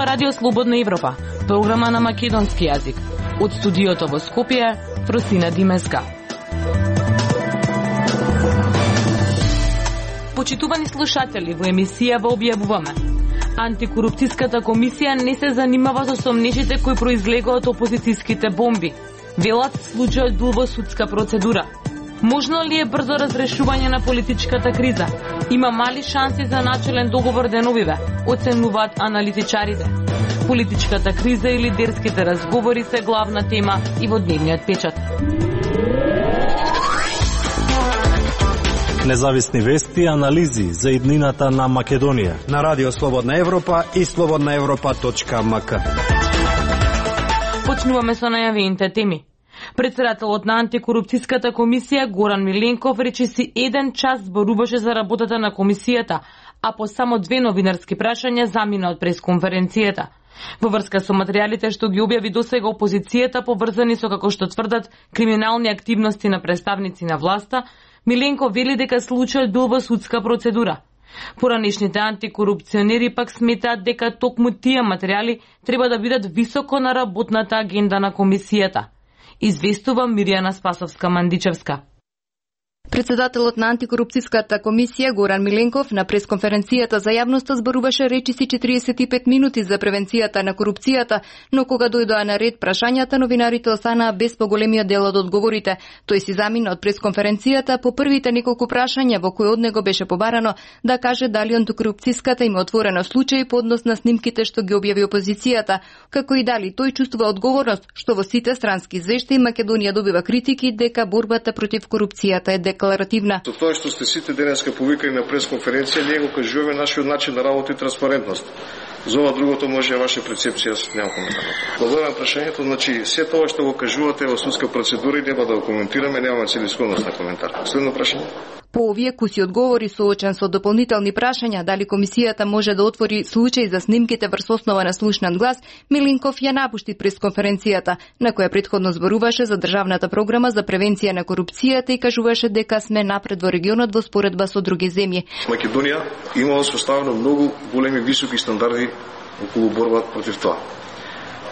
ова Радио Слободна Европа, програма на македонски јазик. Од студиото во Скопје, Фросина Димеска. Почитувани слушатели, во емисијава објавуваме: Антикорупцијската комисија не се занимава со сомнежите кои произлегоа од опозицијските бомби. Велат случајот бил во судска процедура. Можно ли е брзо разрешување на политичката криза? Има мали шанси за начелен договор деновиве, оценуваат аналитичарите. Политичката криза и лидерските разговори се главна тема и во дневниот печат. Независни вести и анализи за иднината на Македонија на Радио Слободна Европа и slobodnaevropa.mk. Почнуваме со најавените теми. Председателот на Антикорупцијската комисија Горан Миленков речиси 1 час зборуваше за работата на комисијата, а по само 2 новинарски прашања замина од пресконференцијата. Во врска со материјалите што ги објави досега опозицијата поврзани со, како што тврдат, криминални активности на представници на власта, Миленков вели дека случајот бил во судска процедура. Поранешните антикорупционери пак сметаат дека токму тие материјали треба да бидат високо на работната агенда на комисијата. Известува Мирјана Спасовска-Мандичевска. Председателот на Антикорупцијската комисија Горан Миленков на пресконференцијата за јавноста зборуваше речиси 45 минути за превенцијата на корупцијата, но кога дојдоа на ред прашањата, новинарите останаа без поголемиот дел од одговорите. Тој си замина од пресконференцијата по првите неколку прашања во кои од него беше побарано да каже дали антикорупцијската има отворено случај по однос на снимките што ги објави опозицијата, како и дали тој чувствува одговорност што во сите странски извештаи Македонија добива критики дека борбата против корупцијата е декларативна. Со тоа што сте сите денеска повикани на пресконференција, ние го кажуваме нашиот начин на работа и транспарентност. За ова другото може ваша перцепција, немам коментар. Благодарам прашањето, значи се тоа што го кажувате во судска процедура и нема да го коментираме, немаме целисходност на коментар. Следно прашање. По овие куси одговори соочен со дополнителни прашања дали комисијата може да отвори случај за снимките врз основа на слушнат глас, Миленков ја напушти пресконференцијата, на која претходно зборуваше за државната програма за превенција на корупцијата и кажуваше дека сме напред во регионот во споредба со други земји. Македонија има усвоставено многу големи високи стандарди околу борба против тоа.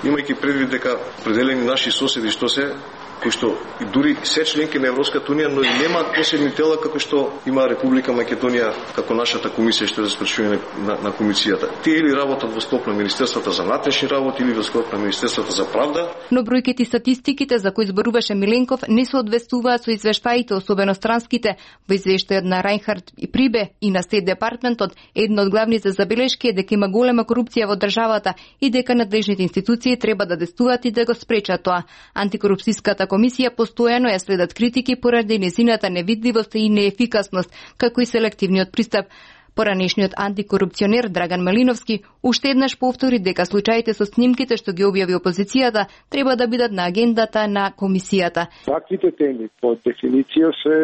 Имајќи предвид дека определени наши соседи што се кои што и дури се членки на Европската унија, но и немаат посебни тела како што има Република Македонија, како нашата комисија што е за спречување на комисијата. Тие или работат во склоп на Министерството за внатрешни работи или во склоп на Министерството за правда. Но бројките и статистиките за кои зборуваше Миленков не се одвестуваат со извештаите, особено странските. Во извештајот на Рајнхард и Прибе и на Стейт департментот, една од главните забелешки е дека има голема корупција во државата и дека надлежните институции треба да действуваат и да го спречат тоа. Антикорупцијската комисија постојано ја следат критики поради нејзината невидливост и неефикасност, како и селективниот пристап. Поранешниот антикорупционер Драган Малиновски уште еднаш повтори дека случаите со снимките што ги објави опозицијата треба да бидат на агендата на комисијата. Ваквите теми по дефиниција се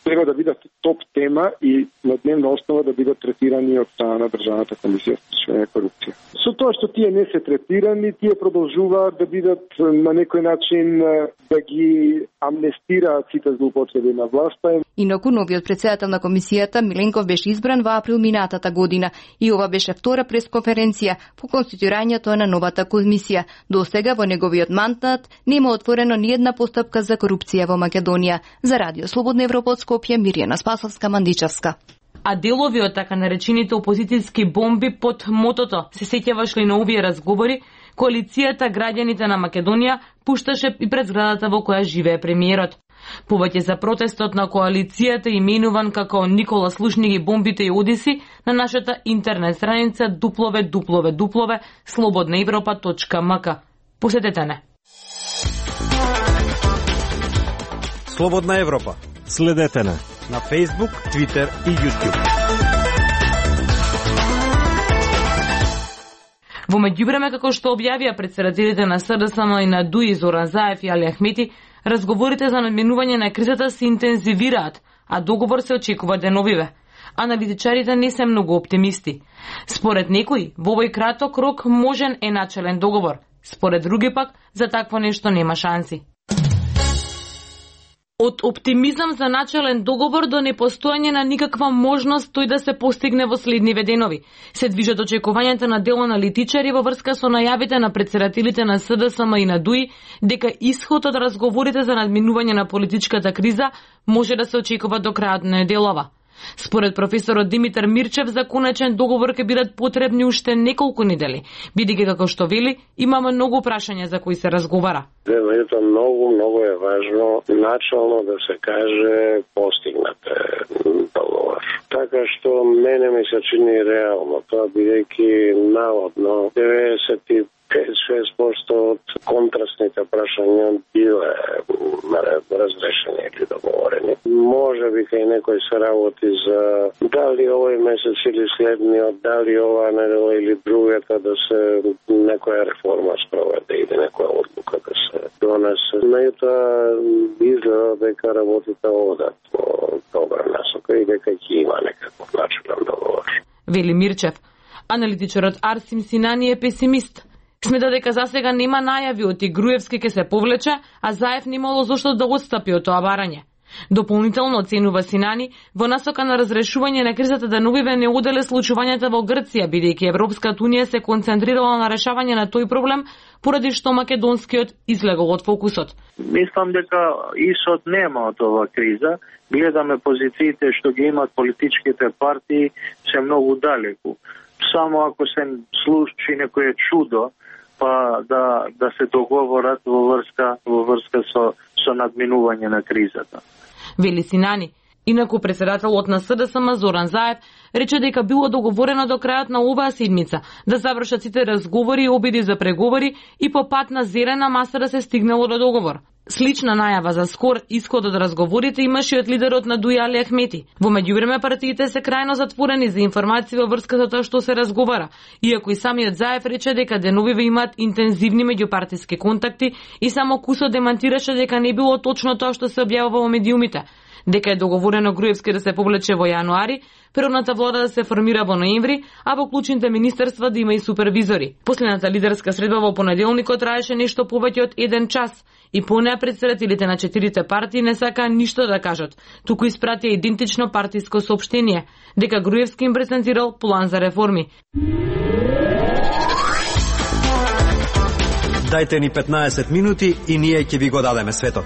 треба да бидат топ тема и на дневна основа да бидат третирани од страна на државната комисија за спречување на корупција. Со тоа што тие не се третирани, тие продолжуваат да бидат на некој начин да ги амнестираат сите злоупотреби на власта. Инаку новиот председател на комисијата Миленков беше избран во април минатата година и ова беше втора пресконференција по конституирањето на новата комисија. До сега во неговиот мандат нема отворено ни една постапка за корупција во Македонија. За Радио Слободна Европа од Скопје, Мирјана Спасовска-Мандичевска. А делови од така наречените опозицијски бомби под мотото се сеќаваш ли на овие разговори, коалицијата Граѓаните на Македонија пушташе и пред зградата во која живее премиерот. Повеќе за протестот на коалицијата именуван како Никола слушни ги бомбите и одиси на нашата интернет страница www.slobodnaevropa.mk. Посетете не. Слободна Европа. Следете не на Facebook, Twitter и YouTube. Во меѓувреме, како што објавија председателите на СДСМ и на ДУИ Зоран Заев и Али Ахмети, разговорите за надминување на кризата се интензивираат, а договор се очекува деновиве. Аналитичарите не се многу оптимисти. Според некои, во овој краток рок можен е начелен договор. Според други пак, за такво нешто нема шанси. Од оптимизам за начален договор до непостојање на никаква можност тој да се постигне во следниве денови. Се движат очекувањата на дел аналитичари во врска со најавите на претседателите на СДСМ и на ДУИ дека исход од разговорите за надминување на политичката криза може да се очекува до крајот на неделава. Според професорот Димитар Мирчев, за конечен договор ќе бидат потребни уште неколку недели, бидејќи како што вели, има многу прашања за кои се разговара. Многу е важно начално да се каже постигнате договор. Така што мене ми се чини реално тоа, бидејќи наводно 95-6% од контрастните прашања биле разрешени или договорени. Може би кај некој се работи за дали овој месец или следниот, дали оваа недела или другата да се некоја реформа спроведе или некоја одлука да се донесе. Меѓутоа изгледа дека работите одат во добра насока и дека ќе има некаков начинен договор. Вели Мирчев. Аналитичарот Арсим Синани е песимист. Смета дека засега нема најави од Груевски ке се повлече, а Заев немало зошто да отстапи од тоа барање. Дополнително оценува Синани во насока на разрешување на кризата да новиве не оделе случувањата во Грција, бидејќи Европската унија се концентрирала на решавање на тој проблем, поради што македонскиот излегол од фокусот. Мислам дека исход нема од оваа криза. Гледаме позициите што ги имат политичките партии се многу далеку. Само ако се случи некое чудо, па да се договорат во врска со надминување на кризата. Вели Синани. Инаку претседателот на СДСМ Зоран Заев рече дека било договорено до крајот на оваа седмица да завршат сите разговори и обиди за преговори и по пат на зелена маса да се стигнало до договор. Слична најава за скор исход од разговорите имаше и од лидерот на ДУИ Али Ахмети. Во меѓувреме партиите се крајно затворени за информации во врска со тоа што се разговара, иако и самиот Заев рече дека деновиве имаат интензивни меѓупартиски контакти и само кусо демантираше дека не било точно тоа што се објавува во медиумите. Дека е договорено Груевски да се повлече во јануари, природната влада да се формира во ноември, а во клучните министерства да има и супервизори. Последната лидерска средба во понеделникот траеше нешто повеќе од 1 час и по неа претседателите на 4 партии не сакаа ништо да кажат, туку испратија идентично партиско соопштение, дека Груевски им презентирал план за реформи. Дајте ни 15 минути и ние ќе ви го дадеме светот.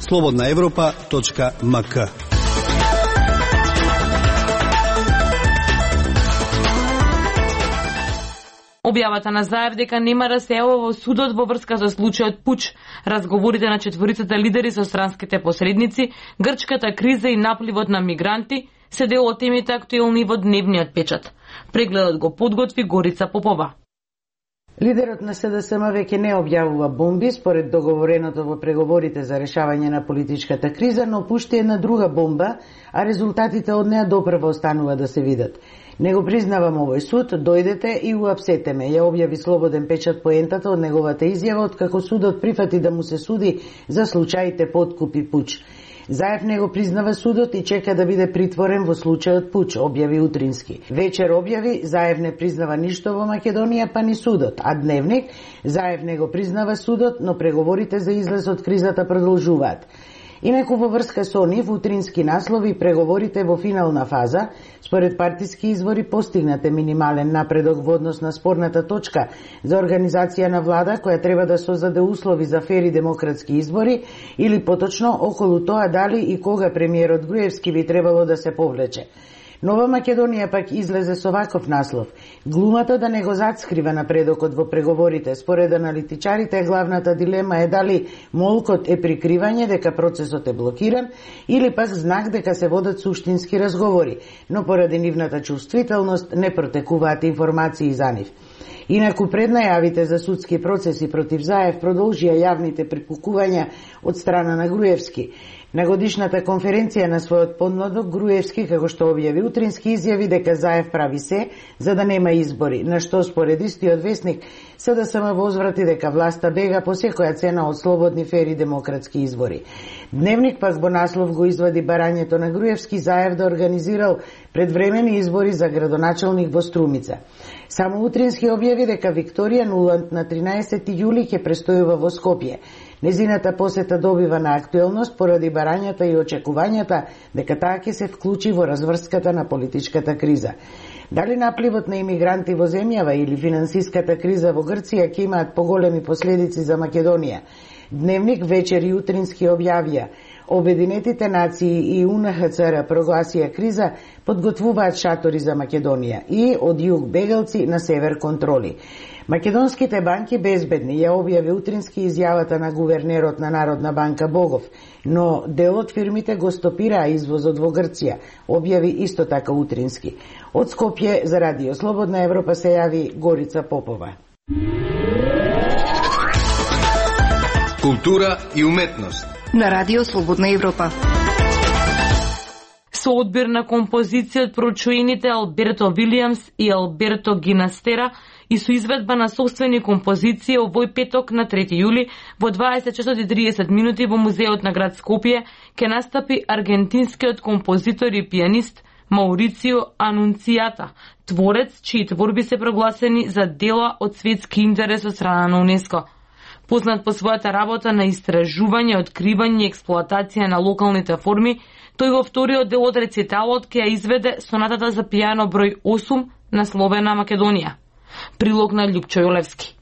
slobodnaevropa.mk. Објавата на Заев дека нема да се јавува во судот во врска со случајот Пуч, разговорите на четворицата лидери со странските посредници, грчката криза и напливот на мигранти се дел од темите актуелни во дневниот печат. Прегледот го подготви Горица Попова. Лидерот на СДСМ веќе не објавува бомби според договореното во преговорите за решавање на политичката криза, но пушти една друга бомба, а резултатите од неа допрва останува да се видат. Не го признавам овој суд, дојдете и уапсете ме, ја објави Слободен печат поентата од неговата изјава откако судот прифати да му се суди за случаите подкуп и пуч. Заев не го признава судот и чека да биде притворен во случајот Пуч, објави утрински. Вечер објави, Заев не признава ништо во Македонија, па ни судот, а Дневник, Заев не го признава судот, но преговорите за излез од кризата продолжуваат. Инаку во врска со нив, утрински наслови, преговорите во финална фаза, според партиски извори постигнате минимален напредок во однос на спорната точка за организација на влада која треба да создаде услови за фери демократски избори или поточно околу тоа дали и кога премиерот Груевски би требало да се повлече. Нова Македонија пак излезе со ваков наслов. Глумата да не го зацкрива напредокот во преговорите. Според аналитичарите, главната дилема е дали молкот е прикривање дека процесот е блокиран или пак знак дека се водат суштински разговори, но поради нивната чувствителност не протекуваат информации за нив. Инаку пред најавите за судски процеси против Заев продолжија јавните припукувања од страна на Груевски. На годишната конференција на својот подмладок, Груевски, како што објави утрински, изјави дека Заев прави се за да нема избори, на што според истиот весник СДСМ возврати дека власта бега по секоја цена од слободни, фери демократски избори. Дневник пак во наслов го извади барањето на Груевски Заев да организирал предвремени избори за градоначалник во Струмица. Само утрински објави дека Викторија Нуланд на 13 јули ќе престојува во Скопје. Незината посета добива на актуелност поради барањата и очекувањата дека таа ќе се вклучи во разврската на политичката криза. Дали напливот на имигранти во земјава или финансиската криза во Грција ќе имаат поголеми последици за Македонија? Дневник, вечер и утрински објавија. Обединетите нации и УНХЦР прогласија криза, подготвуваат шатори за Македонија и од југ бегалци на север контроли. Македонските банки безбедни ја објави утрински изјавата на гувернерот на Народна банка Богов, но дел од фирмите го стопираа извозот во Грција, објави исто така утрински. Од Скопје за Радио Слободна Европа се јави Горица Попова. Култура и уметност на Радио Слободна Европа. Со одбир на композиција од прочуените Алберто Вилијамс и Алберто Гинастера и со изведба на собствени композиции овој петок на 3 јули во 20:30 во музеот на град Скопје ќе настапи аргентинскиот композитор и пианист Маурицио Анунцијата, творец чии творби се прогласени за дела од светски интерес од страна на УНЕСКО. Познат по својата работа на истражување, откривање и експлоатација на локалните форми, тој во вториот дел од рециталот ќе ја изведе сонатата за пијано број 8 насловена Македонија. Прилог на Љупчо Јолевски.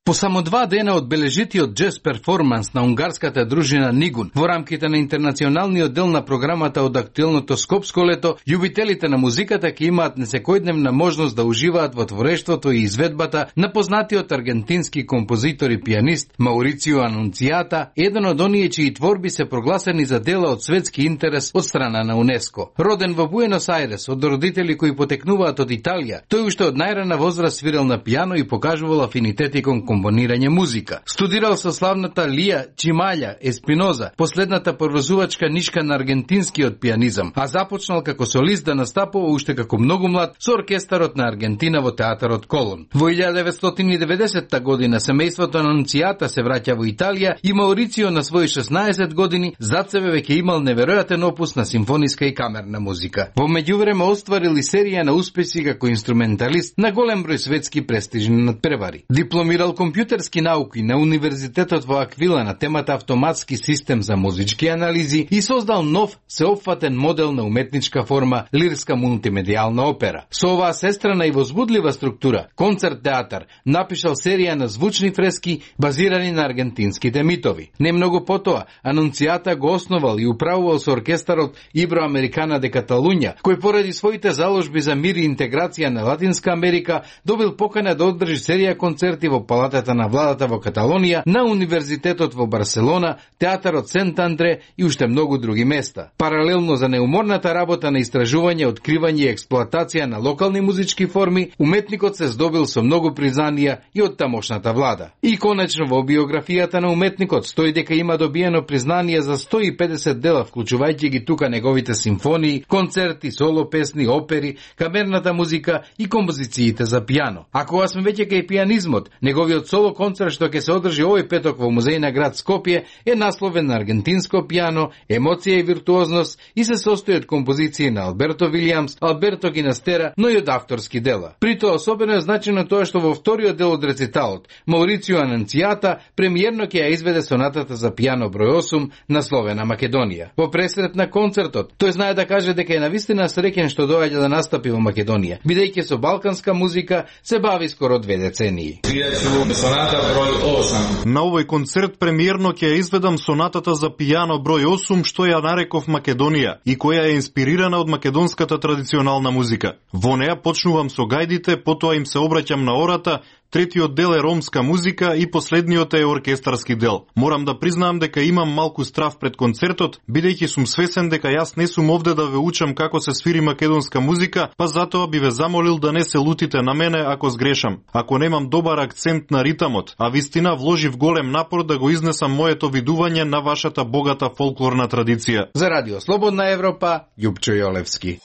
По само 2 дена од бележитиот джез перформанс на унгарската дружина Нигун во рамките на интернационалниот дел на програмата од актуелното Скопско лето, љубителите на музиката ќе имаат несекојдневна можност да уживаат во творештвото и изведбата на познатиот аргентински композитор и пианист Маурицио Анунцијата, еден од оние чии творби се прогласени за дела од светски интерес од страна на УНЕСКО. Роден во Буенос Ајрес од родители кои потекнуваат од Италија, тој уште од најрана возраст свирел на пијано и покажувал афинитети кон компонирање музика. Студирал со славната Лија Чимаља Еспиноза, последната првозувачка нишка на аргентинскиот пианизам, а започнал како солист да настапува уште како многу млад со оркестарот на Аргентина во театарот Колон. Во 1990 година семејството на Анунцијата се враќа во Италија и Маурицио на своји 16 години зад себе веќе имал неверојатен опус на симфониска и камерна музика. Во меѓувреме остварил и серија на успеси како инструменталист на голем број светски престижни надпревари. Дипломирал компјутерски науки на Универзитетот во Аквила на темата автоматски систем за музички анализи и создал нов сеопфатен модел на уметничка форма лирска мултимедијална опера. Со оваа сестрана и возбудлива структура, концерт театар, напишал серија на звучни фрески базирани на аргентинските митови. Немногу потоа, Анунцијата го основал и управувал со оркестарот Иброамерикана де Каталуња, кој поради своите заложби за мир и интеграција на Латинска Америка добил покана да одржи серија концерти во палатата на владата во Каталонија, на Универзитетот во Барселона, театарот Сент Андре и уште многу други места. Паралелно за неуморната работа на истражување, откривање и експлоатација на локални музички форми, уметникот се здобил со многу признанија и од тамошната влада. И конечно во биографијата на уметникот стои дека има добиено признание за 150 дела, вклучувајќи ги тука неговите симфонии, концерти, соло песни, опери, камерната музика и композициите за пијано. А кога сме веќе кај пианизмот, неговиот соло концерт што ќе се одржи овој петок во музеј на град Скопје е насловен на аргентинско пијано, емоција и виртуозност и се состои од композиции на Алберто Вилијамс, Алберто Гинастера, но и од авторски дела. При тоа особено е значено тоа што во вториот дел од рециталот Маурицио Анунцијата премиерно ќе ја изведе сонатата за пијано број 8 насловена Македонија. Во пресрет на концертот, тој знае да каже дека е навистина среќен што доаѓа да настапи во Македонија, бидејќи со балканска музика се бави скоро 2 децении. На овој концерт премиерно ќе ја изведам сонатата за пијано број 8 што ја нареков Македонија и која е инспирирана од македонската традиционална музика. Во неа почнувам со гајдите, потоа им се обраќам на ората, третиот дел е ромска музика и последниот е оркестарски дел. Морам да признаам дека имам малку страв пред концертот, бидејќи сум свесен дека јас не сум овде да ве учам како се свири македонска музика, па затоа би ве замолил да не се лутите на мене ако сгрешам. Ако немам добар акцент на ритамот, а вистина вложив голем напор да го изнесам моето видување на вашата богата фолклорна традиција. За Радио Слободна Европа, Љупчо Јолевски.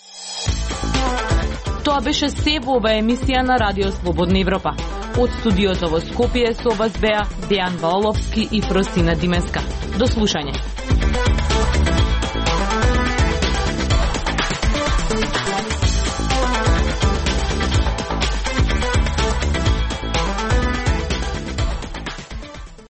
Тоа беше се во оваа емисија на Радио Слободна Европа. Од студиото во Скопје со вас беа Дејан Валовски и Фросина Димеска. До слушање.